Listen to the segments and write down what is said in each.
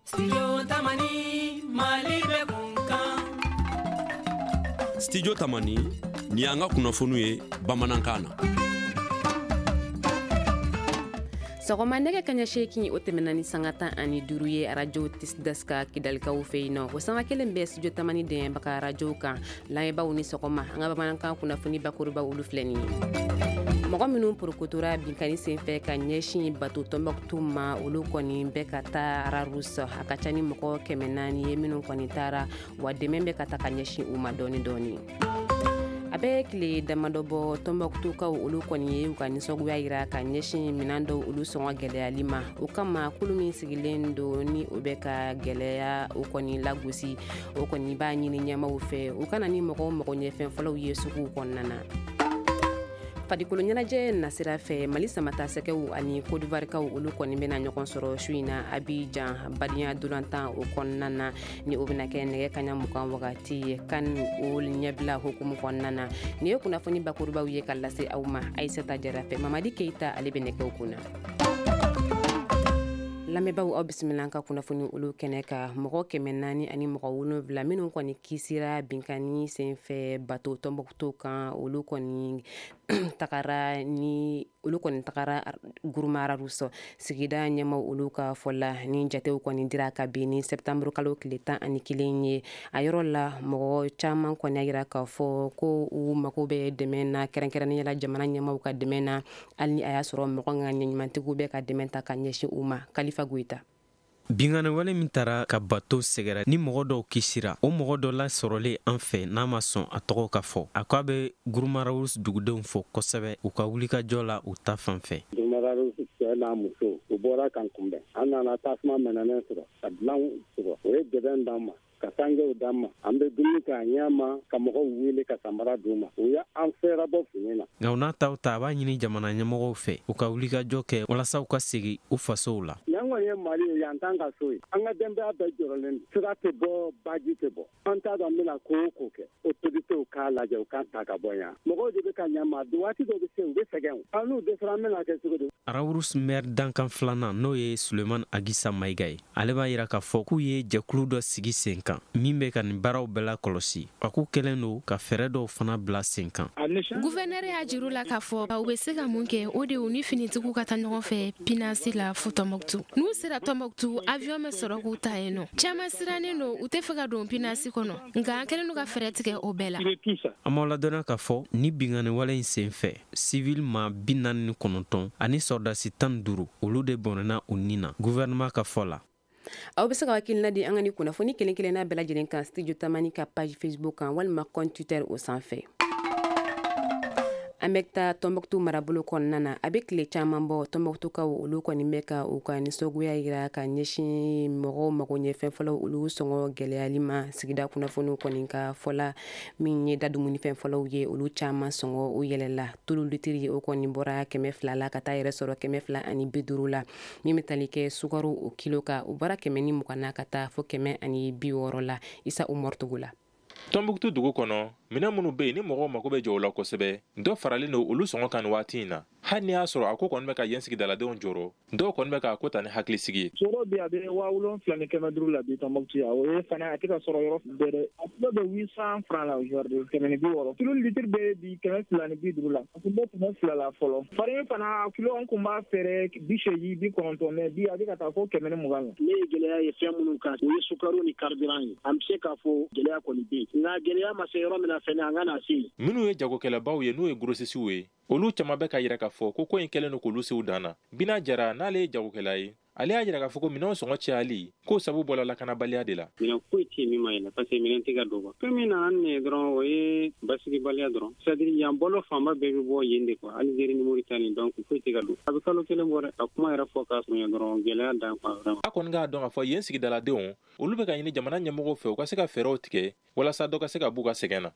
Studio Tamani, Mali bɛ kun kan. Studio Tamani, nin y'an ka kunnafoniw ye bamanankan na. Sɔgɔma nɛgɛ kaɲɛ 8, o tɛmɛna ni sanga 15 ye arajo Deska Kidalikaw fɛ yen nɔ. O sanga kelen bɛ Studio Tamani dɛmɛbaga arajow kan. Lamɛnbaaw ni sɔgɔma, an ka bamanankan kunnafoni bakuruba olu filɛ nin ye. Mɔgɔ minnu porokotora binkanni senfɛ ka ɲɛsin bato Tɔnbɔkutu ma, olu kɔni bɛ ka taa Rharous. A ka ca ni mɔgɔ 400 ye minnu kɔni taara, wa dɛmɛ bɛ ka taa ka ɲɛsin u ma dɔɔni dɔɔni. A bɛ tile damadɔ bɔ, Tɔnbɔkutukaw olu kɔni ye u ka nisɔngoya yira ka ɲɛsin minɛn dɔw olu sɔngɔ gɛlɛyali ma. O kama, kulu min sigilen don ni o bɛ ka gɛlɛya o kɔni lagosi, o kɔni b'a ɲini ɲɛmaaw fɛ u kana ni mɔgɔw mago ɲɛfɛn fɔlɔw ye suguw kɔnɔna na. Farikolo ɲɛnajɛ nasira fɛ, Mali samata sɛgɛw ani Kodivarikaw olu kɔni bɛna ɲɔgɔn sɔrɔ su in na Abidjan badenya dolantan o kɔnɔna na, ni o bɛna kɛ nɛgɛ kaɲa 20 wagati ye kan o ɲɛbila hukumu kɔnɔna na. Nin ye kunnafoni bakurubaw ye ka lase aw ma Ayisata Jara fɛ. Mamadi Keyita ale bɛ nɛgɛw kunna. Lamɛnbaaw, aw bisimila an ka kunnafoni olu kɛnɛ kan. Mɔgɔ 470 minnu kɔni kisira binkanni senfɛ bato Tɔnbɔkutu kan, olu kɔni tagara Gourma Rharous. Sigida ɲɛmaw olu ka fɔ la, ni jatew kɔni dira kabini septembre kalo tile 11 ye a yɔrɔ la, mɔgɔ caman kɔni y'a yira k'a fɔ ko u mago bɛ dɛmɛ na, kɛrɛnkɛrɛnnenya la jamana ɲɛmaw ka dɛmɛ na, hali ni a y'a sɔrɔ mɔgɔ ŋaniya ɲumantigiw bɛ ka dɛmɛ ta ka ɲɛsin u ma. Kalifa Goyita. Binkanni wale min taara ka bato sɛgɛrɛ ni mɔgɔ dɔw kisira, o mɔgɔ dɔ lasɔrɔlen an fɛ n'a ma sɔn a tɔgɔ ka fɔ, a ko a bɛ Gourma Rharous dugudenw fo kosɛbɛ u ka wulikajɔ la u ta fan fɛ. Gourma Rharous cɛ n'a muso, u bɔra kan kunbɛn. An nana tasuma mɛnɛnen sɔrɔ ka dilan sɔrɔ. O ye dɛbɛn d'an ma, ka sangew d'an ma, an bɛ dumuni kɛ a ɲɛ ma, ka mɔgɔw wele ka samara d'u ma. U ye an fɛɛrɛbɔ fini na. Nka u n'a taw ta, a b'a ɲini jamana ɲɛmɔgɔw fɛ u ka wulikajɔ kɛ walasa u ka segi u fasow la. Yan kɔni ye Mali ye, yan t'an ka so ye. An ka denbaya bɛɛ jɔrɔlen don. Sira tɛ bɔ, baji tɛ bɔ. An t'a dɔn an bɛna ko o ko kɛ. Autorités k'a lajɛ, u k'an ta ka bɔ yan. Mɔgɔw de bɛ ka ɲɛ ma. Waati dɔ bɛ se, u bɛ sɛgɛn. An n'u dɛsɛra, an bɛna kɛ cogo di? Rharous maire dankan filanan, n'o ye Suleman Agisa Mayiga ye, ale b'a yira k'a fɔ k'u ye jɛkulu dɔ sigi sen kan min bɛ ka nin baaraw bɛɛ la kɔlɔsi. A k'u kɛlen don ka fɛɛrɛ dɔw fana bila sen kan. Gouverneur y'a jiru la k'a fɔ u bɛ se ka mun kɛ, o de u ni finitigiw ka taa ɲɔgɔn fɛ Pinasi la fo Tɔnbɔkutu. N'u sera Tɔnbɔkutu, avion bɛ sɔrɔ k'u ta yen nɔ. Caman sirannen don, u tɛ fɛ ka don Pinasi kɔnɔ, nka an kɛlen don ka fɛɛrɛ tigɛ o bɛɛ la. An m'aw ladɔnniya k'a fɔ ni binkanni wale in sen fɛ, civil ma 49 ani sɔrɔdasi 15, olu de bɔnɛna u ni na, gouvernement ka fɔ la. Aw bɛ se ka hakilina di an ka ni kunnafoni kelen kelenna bɛɛ lajɛlen kan Studio Tamani ka page Facebook kan walima compte Twitter o sanfɛ. An bɛ taa Tɔnbɔkutu marabolo kɔnɔna na. A bɛ tile caman bɔ, Tɔnbɔkutukaw olu kɔni bɛ ka u ka nisɔngoya yira ka ɲɛsin mɔgɔw mago ɲɛfɛn fɔlɔ olu sɔngɔ gɛlɛyali ma. Sigida kunnafoniw kɔni ka fɔla, min ye da dumunifɛn fɔlɔw ye, olu caman sɔngɔ o yɛlɛla. Tulu litiri, o kɔni bɔra 200 la ka taa yɛrɛ sɔrɔ 250 la. Min bɛ tali kɛ sukaro o kilo kan, o bɔra 120 na ka taa fo 160 la. Isa Umaru Togo la. Tɔnbukutu dugu kɔnɔ, minɛn minnu bɛ yen ni mɔgɔw mago bɛ jɔ o la kosɛbɛ, dɔ faralen don olu sɔngɔ kan nin waati in na. Hali ni y'a sɔrɔ a ko kɔni bɛ ka yen sigidaladenw jɔrɔ, dɔw kɔni bɛ k'a ko ta ni hakilisigi ye. Sɔrɔ bi, a bɛ 7500 la bi Tɔnbukutu yan. O ye fana, a tɛ ka sɔrɔ yɔrɔ bɛɛ dɛ. A kilo bɛ 800 francs la aujourd'hui, 160. Tulu litre bɛ bi 250 la, a tun bɛ 200 la fɔlɔ. Farine fana kilo, an kun b'a feere 80, 90, mais bi a bɛ ka taa fo 120 la. Ne ye gɛlɛya ye fɛn minnu kan, o ye sukaro ni carburant ye. An bɛ se k'a fɔ gɛlɛya kɔni bɛ yen, nka gɛlɛya ma se yɔrɔ min na fɛnɛ, an ka na se yen. Minnu ye jagokɛlabaw ye, n'o ye grossistew ye, olu caman bɛ ka yira k'a fɔ ko ko in kɛlen don k'olu sew dan na. Bina Jara, n'ale ye jagokɛla ye, ale y'a jira k'a fɔ ko minɛnw sɔngɔ cayali k'o sabu bɔla lakanabaliya de la. Minɛn foyi tɛ yen min ma yɛlɛ, parce que minɛn tɛ ka don quoi. Fɛn min nana nin ye dɔrɔn, o ye basigibaliya dɔrɔn, c'est à dire yan balo fanba bɛɛ bɛ bɔ yen de quoi, Algérie ni Mauritanie. Donc foyi tɛ ka don. A bɛ kalo kelen bɔ dɛ. Ka kuma yɛrɛ fɔ k'a surunya dɔrɔn, gɛlɛya dan quoi, vraiment. A kɔni k'a dɔn k'a fɔ yen sigidaladenw, olu bɛ ka ɲini jamana ɲɛmɔgɔw fɛ u ka se ka fɛɛrɛw tigɛ walasa dɔ ka se ka b'u ka sɛgɛn na.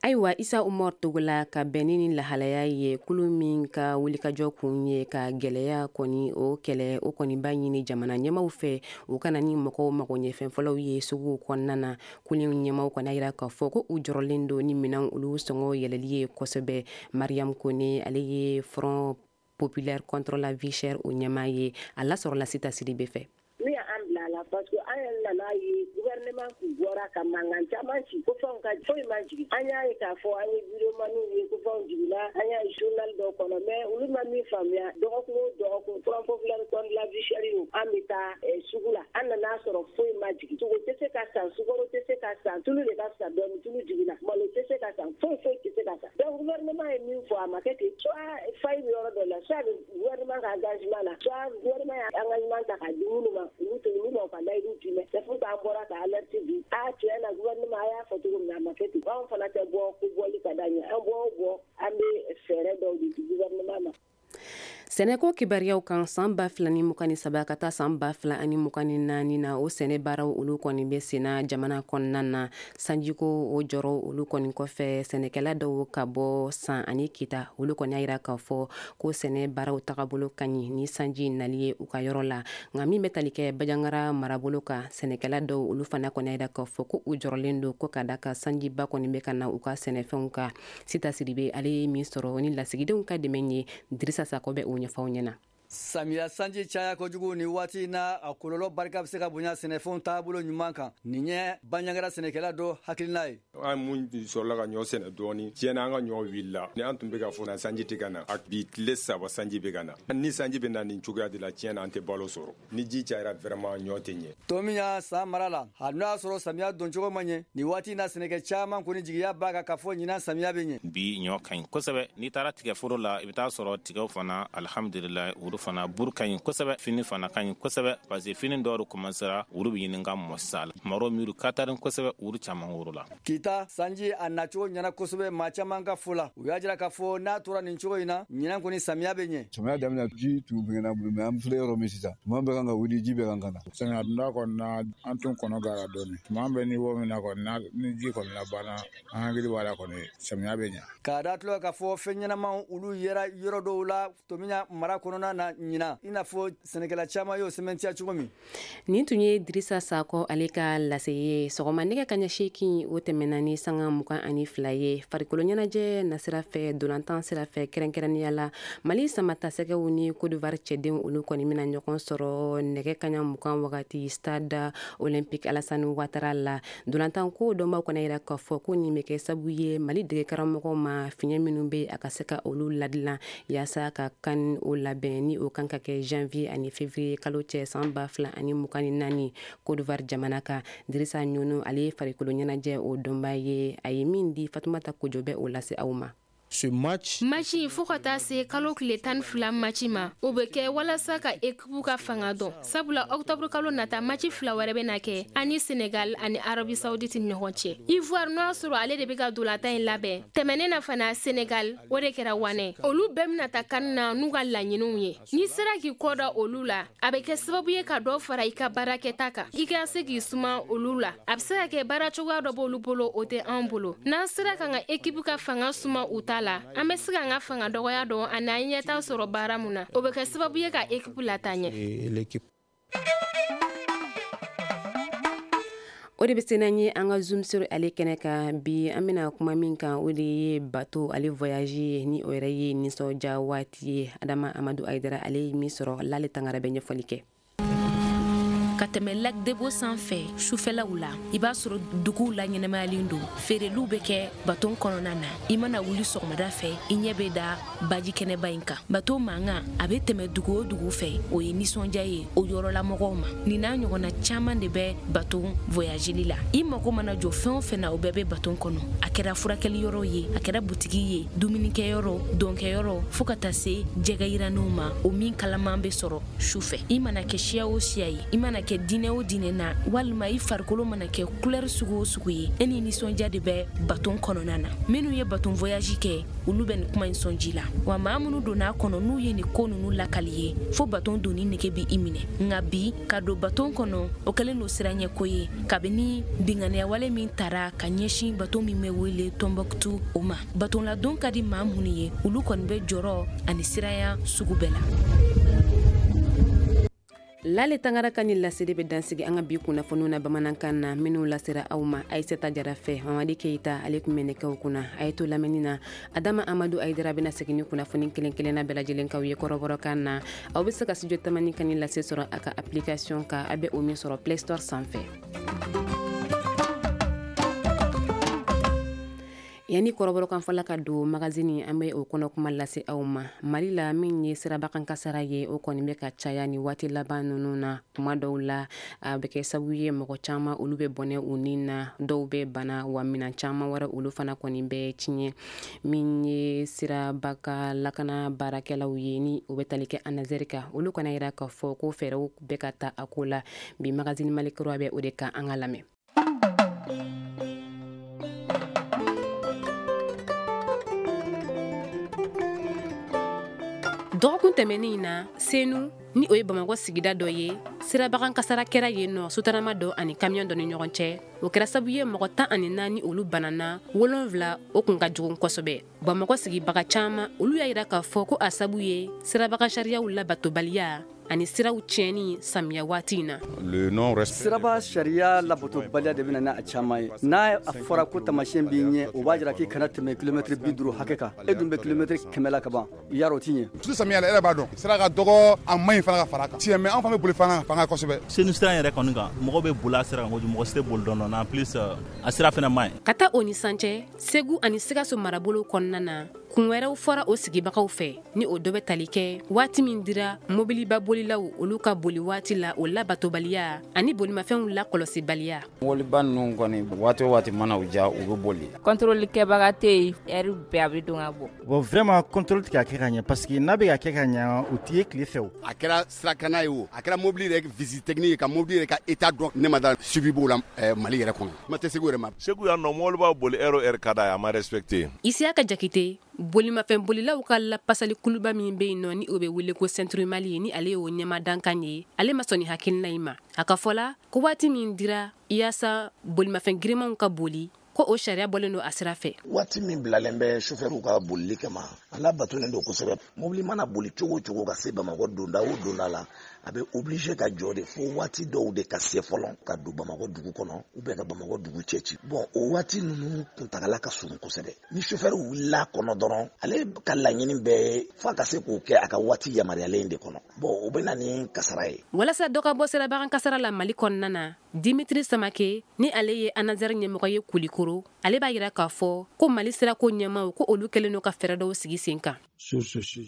Ayiwa, Isa Umar Togola, ka bɛn ni lahalaya ye, kulu min ka wulikajɔ kun ye ka gɛlɛya kɔni o kɛlɛ, o kɔni b'a ɲini jamana ɲɛmaw fɛ u kana ni mɔgɔw mago ɲɛfɛn fɔlɔw ye suguw kɔnɔna na. Kulu ɲɛmaw kɔni yira k'a fɔ ko u jɔrɔlen don ni minɛn olu sɔngɔ yɛlɛli ye kosɛbɛ. Mariam Kone, ale ye Front populaire contre la vie chère o ɲɛmaa ye, a lasɔrɔla Sita Sidibe fɛ. N'u y'an bila a la. la parce que an yɛrɛ nana ye gouvernement kun bɔra ka mankan caman ci ko fɛnw ka foyi ma jigin. An y'a ye k'a fɔ an ye videomaniw ye ko fɛnw jiginna, an y'a ye journal dɔw kɔnɔ, mais olu ma min faamuya, dɔgɔkun o dɔgɔkun Front populaire contre la vie chère an bɛ taa sugu la, an nana sɔrɔ foyi ma jigin. Sogo tɛ se ka san, sukaro tɛ se ka san, tulu de ka fisa dɔɔni, tulu jiginna, malo tɛ se ka san, foyi foyi tɛ se ka san. Donc gouvernement ye min fɔ a ma kɛ ten, soit faille bɛ yɔrɔ dɔ la, soit gouvernement ka engagement la, soit gouvernement ye engagement ta k'a di minnu ma, olu tɛ olu ma u ka layidu tiimɛ. C'est pour ça an bɔra ka alerte di, a tiɲɛ na gouvernement a y'a fɔ cogo min na a ma kɛ ten. Anw fana tɛ bɔ ko bɔli ka d'an ye, an bɔ o bɔ an bɛ fɛɛrɛ dɔw de di gouvernement ma. Sɛnɛko kibaruyaw kan san 2023 ka taa san 2024 na, o sɛnɛ baaraw olu kɔni bɛ senna jamana kɔnɔna na. Sanjiko o jɔrɔ olu kɔni kɔfɛ, sɛnɛkɛla dɔw ka bɔ San ani Kita olu kɔni y'a yira k'a fɔ ko sɛnɛ baaraw tagabolo ka ɲi ni sanji nali ye u ka yɔrɔ la. Nka min bɛ tali kɛ Banjagara marabolo kan, sɛnɛkɛla dɔw olu fana kɔni y'a yira k'a fɔ ko u jɔrɔlen don ko ka da ka sanjiba kɔni bɛ ka na u ka sɛnɛfɛnw kan. Sita Sidibe ale ye min sɔrɔ ni lasigidenw ka dɛmɛ ye, Dirisa Sakɔ bɛ o ɲɛfɔ aw ɲɛna. Samiya sanji caya kojugu ni waati na, a kɔlɔlɔ barika bɛ se ka bonya sɛnɛfɛnw taabolo ɲuman kan. Nin ye Banjagara sɛnɛkɛla dɔ hakilina ye. An mun sɔrɔla ka ɲɔ sɛnɛ dɔɔni, tiɲɛna an ka ɲɔ wulila. Ni an tun bɛ ka fɔ na sanji tɛ ka na, a bi tile 3 sanji bɛ ka na. Ni sanji bɛ na nin cogoya de la, tiɲɛna an tɛ balo sɔrɔ. Ni ji cayara vraiment ɲɔ tɛ ɲɛ. Tomiya san mara la, hali n'o y'a sɔrɔ samiya doncogo ma ɲɛ, nin waati na sɛnɛkɛ caman kɔni jigiya b'a kan k'a fɔ ɲinan samiya bɛ ɲɛ. Bi ɲɔ ka ɲi kosɛbɛ. N'i taara tigɛforo la, i bɛ taa sɔrɔ tigɛw fana alhamdulilayi, olu fana buru ka ɲi kosɛbɛ, fini fana ka ɲi kosɛbɛ, parce que fini dɔw commencera olu bɛ ɲini ka mɔ sisan la. Maro miiri kataren kosɛbɛ, olu caman woro la. Kita sanji a nacogo ɲɛna kosɛbɛ maa caman ka fɔ la. U y'a jira k'a fɔ n'a tora nin cogo in na, ɲinan kɔni samiya bɛ ɲɛ. Samiya daminɛ ji tun bɛna bolo, mais an filɛ yɔrɔ min sisan, tuma bɛ kan ka wuli, ji bɛ kan ka na. Samiya donda kɔni na, an tun kɔnɔ gara dɔɔni. Tuma bɛ ni wo min na kɔni, ni ji kɔni labanna, an hakili b'a la kɔni, samiya bɛ ɲɛ. K'a da tulo k'a fɔ fɛn ɲɛnamaw olu yera yɔrɔ dɔw la Tomiya mara kɔnɔna na ɲinan, i n'a fɔ sɛnɛkɛla caman y'o sɛmɛntiya cogo min. Nin tun ye Dirisa Sakɔ ale ka lase ye. Sɔgɔma nɛgɛ kaɲɛ 8 o tɛmɛna ni sanga 22 ye. Farikolo ɲɛnajɛ nasira fɛ, dolantan sira fɛ, kɛrɛnkɛrɛnnenya la Mali samatasɛgɛw ni Côte d'Ivoire cɛdenw olu kɔni bɛna ɲɔgɔn sɔrɔ nɛgɛ kaɲɛ 20 wagati stade olympique Alassane Ouattara la. Dolantan ko dɔnbaw kɔni yira k'a fɔ ko nin bɛ kɛ sabu ye Mali degekaramɔgɔw ma fiɲɛ minnu bɛ a ka se ka olu ladilan yaasa ka kan o labɛn ni o kan ka kɛ janvier ani février kalo cɛ san 2024 Côte d'Ivoire jamana kan. Dirisa Ɲɔnɔ ale ye farikolo ɲɛnajɛ o dɔnba ye, a ye min di Fatumata Kojo bɛ o lase aw ma. Ce match match fo ka taa se kalo tile 12 match ma, o bɛ kɛ walasa ka ekipu ka fanga dɔn, sabula octobre kalo nata match 2 wɛrɛ bɛ na kɛ ani Senegal ani Arabie Saoudite ni ɲɔgɔn cɛ. Ivoire n'o y'a sɔrɔ ale de bɛ ka dolatan in labɛn, tɛmɛnen na fana Senegal o de kɛra wanɛ. Olu bɛɛ bɛna taa kan na n'u ka laɲiniw ye. N'i sera k'i kɔ da olu la, a bɛ kɛ sababu ye ka dɔ fara i ka baarakɛta kan, i ka se k'i suma olu la. A bɛ se ka kɛ baara cogoya dɔ b'olu bolo, o tɛ anw bolo. N'an sera k'an ka ekipu ka fanga suma u ta la, an bɛ se k'an ka fanga dɔgɔya dɔn ani an ɲɛta sɔrɔ baara mun na, o bɛ kɛ sababu ye ka ekipu lataa ɲɛ. O de bɛ se n'an ye an ka zoom sur ale kɛnɛ kan bi. An bɛna kuma min kan, o de ye bateau ale voyage ye, ni o yɛrɛ ye nisɔndiya waati ye. Adama Amadu Ayidara ale ye min sɔrɔ, Lale Tangara bɛ ɲɛfɔli kɛ. Ka tɛmɛ lac Debo sanfɛ sufɛlaw la, i b'a sɔrɔ duguw la ɲɛnɛmayalen don, feereliw bɛ kɛ baton kɔnɔna na. I mana wuli sɔgɔmada fɛ, i ɲɛ bɛ da baji kɛnɛba in kan. Bato mankan a bɛ tɛmɛ dugu o dugu fɛ, o ye nisɔndiya ye o yɔrɔlamɔgɔw ma. Nin n'a ɲɔgɔnna caman de bɛ baton voyageli la. I mago mana jɔ fɛn o fɛn na, o bɛɛ bɛ baton kɔnɔ. A kɛra furakɛli yɔrɔ ye, a kɛra butigi ye, dumunikɛyɔrɔ, dɔnkɛyɔrɔ, fo ka taa se jɛgɛ yiranniw ma, o min kalaman bɛ sɔrɔ su fɛ. I mana kɛ siya o siya ye, i mana kɛ diinɛ o diinɛ na, walima i farikolo mana kɛ couleur sugu o sugu ye, e ni nisɔndiya de bɛ baton kɔnɔna na. Minnu ye baton voyage kɛ, olu bɛ nin kuma in sɔn ji la. Wa maa minnu donna a kɔnɔ, n'u ye nin ko ninnu lakali ye, fo baton donni nege bɛ i minɛ. Nka bi, ka don baton kɔnɔ, o kɛlen don siranɲɛko ye, kabini binkanniya min tara ka ɲɛsin baton min bɛ wele Tombouctou o ma. Baton ladon ka di maa minnu ye, olu kɔni bɛ jɔrɔ ani siranya sugu bɛɛ la. Lale Tangara ka ni laseli bɛ dansigi an ka bi kunnafoniw na bamanankan na, minnu lasera aw ma Ayisata Jara fɛ. Mamadi Keyita, ale tun bɛ nɛgɛw kunna. A ye to lamɛnni na. Adama Amadu Ayidara bɛna segin ni kunnafoni kelen kelenna bɛɛ lajɛlen kaw ye kɔrɔbɔrɔkan na. Aw bɛ se ka studio Tamani ka ni lase sɔrɔ a ka application kan, a bɛ o min sɔrɔ Play Store sanfɛ. Yanni kɔrɔbɔrɔkan fɔla ka don magazine, an bɛ o kɔnɔ kuma lase aw ma. Mali la, min ye sirabakan kasara ye, o kɔni bɛ ka caya ni waati laban ninnu na. Kuma dɔw la, a bɛ kɛ sababu ye mɔgɔ caman olu bɛ bɔnɛ u ni na, dɔw bɛ bana, wa minɛn caman wɛrɛ olu fana kɔni bɛ tiɲɛ. Min ye sirabaka lakana baarakɛlaw ye, ni o bɛ tali kɛ ANASER kan, olu kana yira k'a fɔ ko fɛɛrɛw bɛ ka ta a ko la. Bi magazine Mali kura bɛ o de kan, an ka lamɛn. Dɔgɔkun tɛmɛnen in na, Senu, ni o ye Bamakɔ sigida dɔ ye, sirabakan kasara kɛra yen nɔ sotarama dɔ ani kamiyɔn dɔ ni ɲɔgɔn cɛ. O kɛra sababu ye mɔgɔ 14 olu banana, 7 o kun ka jugu kosɛbɛ. Bamakɔ sigibaga caman olu y'a yira k'a fɔ ko a sabu ye sirabakan sariyaw labatobaliya ani siraw tiɲɛni samiya waati in na. Siraba sariya labatobaliya de bɛ na n'a caman ye. N'a a fɔra ko taamasiyɛn b'i ɲɛ, o b'a jira k'i kana tɛmɛ kilomɛtiri 50 hakɛ kan. E dun bɛ kilomɛtiri 100 la ka ban, yarɔ o t'i ɲɛ. Surtout samiya la, e yɛrɛ b'a dɔn sira ka dɔgɔ, a man ɲi fana ka fara a kan. Tiɲɛ, mais an fana bɛ boli fana fanga kosɛbɛ. Senu sira yɛrɛ kɔni kan, mɔgɔw bɛ boli a sira kan kojugu, mɔgɔ si tɛ boli dɔɔnin dɔɔnin. En plus, a sira fana man ɲi. Ka taa o ni san cɛ, Segu ani Sikaso marabolo kɔnɔna na, kun wɛrɛw fɔra o sigibagaw fɛ, ni o dɔ bɛ tali kɛ waati min dira mobiliba bolilaw olu ka boli waati la, o labatobaliya ani bolimafɛnw lakɔlɔsibaliya. Mɔbiliba ninnu kɔni, waati o waati mana u diya, u bɛ boli. Contrôle kɛbaga tɛ yen, heure bɛɛ a bɛ don ka bɔ. Bon, vraiment, contrôle tɛ ka kɛ ka ɲɛ, parce que n'a bɛ ka kɛ ka ɲɛ, o tɛ ye tile fɛ o. A kɛra sirakana ye o, a kɛra mobili yɛrɛ visite technique ye, ka mobili yɛrɛ ka état dɔn, ne ma da suivi b'o la Mali yɛrɛ kɔnɔ. Kuma tɛ Segu yɛrɛ ma. Segu yan nɔ, mobili b'a boli heure o heure ka d'a ye, a ma respecté. Isiyaka Jakite, bolimafɛn bolilaw ka lapasali kuluba min bɛ yen nɔ, ni o bɛ wele ko Centre Mali, ni ale y'o ɲɛma dankan ye, ale ma sɔn ni hakilina in ma. A ka fɔ la ko waati min dira yaasa bolimafɛn girimanw ka boli, ko o sariya bɔlen don a sira fɛ. Waati min bilalen bɛ sofɛriw ka bolili kama, a labatolen don kosɛbɛ. Mobili mana boli cogo o cogo ka se Bamakɔ donda o donda la, a bɛ obligé ka jɔ de fo waati dɔw de ka se fɔlɔ ka don Bamakɔ dugu kɔnɔ ou bien ka Bamakɔ dugu cɛ ci. Bon, o waati ninnu kuntagala ka surun kosɛbɛ. Ni sofɛri wulila kɔnɔ dɔrɔn, ale ka laɲini bɛɛ ye f'a ka se k'o kɛ a ka waati yamaruyalen de kɔnɔ. Bon, o bɛ na ni kasara ye. Walasa dɔ ka bɔ sirabakan kasara la Mali kɔnɔna na, Dimitri Samake, ni ale ye ANASER ɲɛmɔgɔ ye Kulikoro, ale b'a yira k'a fɔ ko Mali sirako ɲɛmaw ko olu kɛlen don ka fɛɛrɛ dɔw sigi sen kan.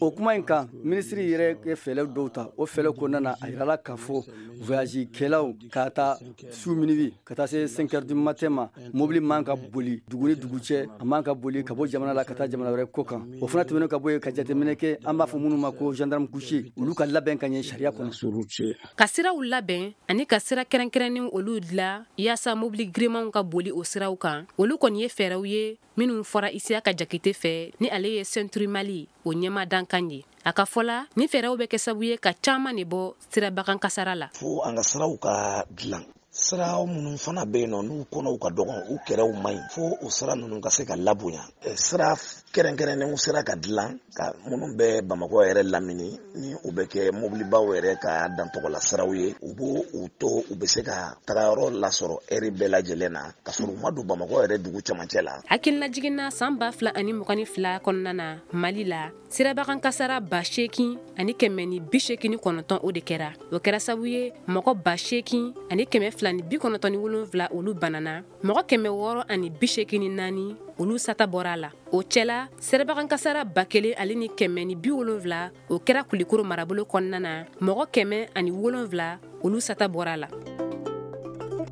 O kuma in kan, minisiri yɛrɛ ye fɛɛrɛ dɔw ta. O fɛɛrɛ kɔnɔna na, a yirala k'a fɔ voyage kɛlaw ka taa su minuit ka taa se 5 heures du matin ma, mobili man ka boli dugu ni dugu cɛ, a man ka boli ka bɔ jamana la ka taa jamana wɛrɛ kɔ kan. O fana tɛmɛnen ka bɔ yen, ka jateminɛ kɛ, an b'a fɔ minnu ma ko gendarme couché, olu ka labɛn ka ɲɛ sariya kɔnɔ. Ka siraw labɛn ani ka sira kɛrɛnkɛrɛnnenw olu dilan yaasa mobili girimanw ka boli o siraw kan, olu kɔni ye fɛɛrɛw ye minnu fɔra Isiyaka Jakite fɛ, ni ale ye Centre Mali o ɲɛma dankan ye. A ka fɔ la, ni fɛɛrɛw bɛ kɛ sababu ye ka caman de bɔ sirabakan kasara la. Fo an ka siraw ka dilan, sira minnu fana bɛ yen nɔ, n'u kɔnɔw ka dɔgɔn, u kɛrɛw man ɲi, fo o sira ninnu ka se ka labonya. Sira kɛrɛnkɛrɛnnenw sera ka dilan ka minnu bɛ Bamakɔ yɛrɛ lamini, ni u bɛ kɛ mobilibaw yɛrɛ ka dantɔgɔla siraw ye, u b'o u to u bɛ se ka tagayɔrɔ lasɔrɔ ɛri bɛɛ lajɛlen na, ka sɔrɔ u ma don Bamakɔ yɛrɛ dugu cɛmancɛ la. Hakilinajiginna, san 2022 kɔnɔna na, Mali la, sirabakan kasara 8189 o de kɛra. O kɛra sababu ye mɔgɔ 8297 olu banana, mɔgɔ 684 olu sata bɔra a la. O cɛla, sirabakan kasara 1170 o kɛra Kulikoro marabolo kɔnɔna na, mɔgɔ 107 olu sata bɔra a la.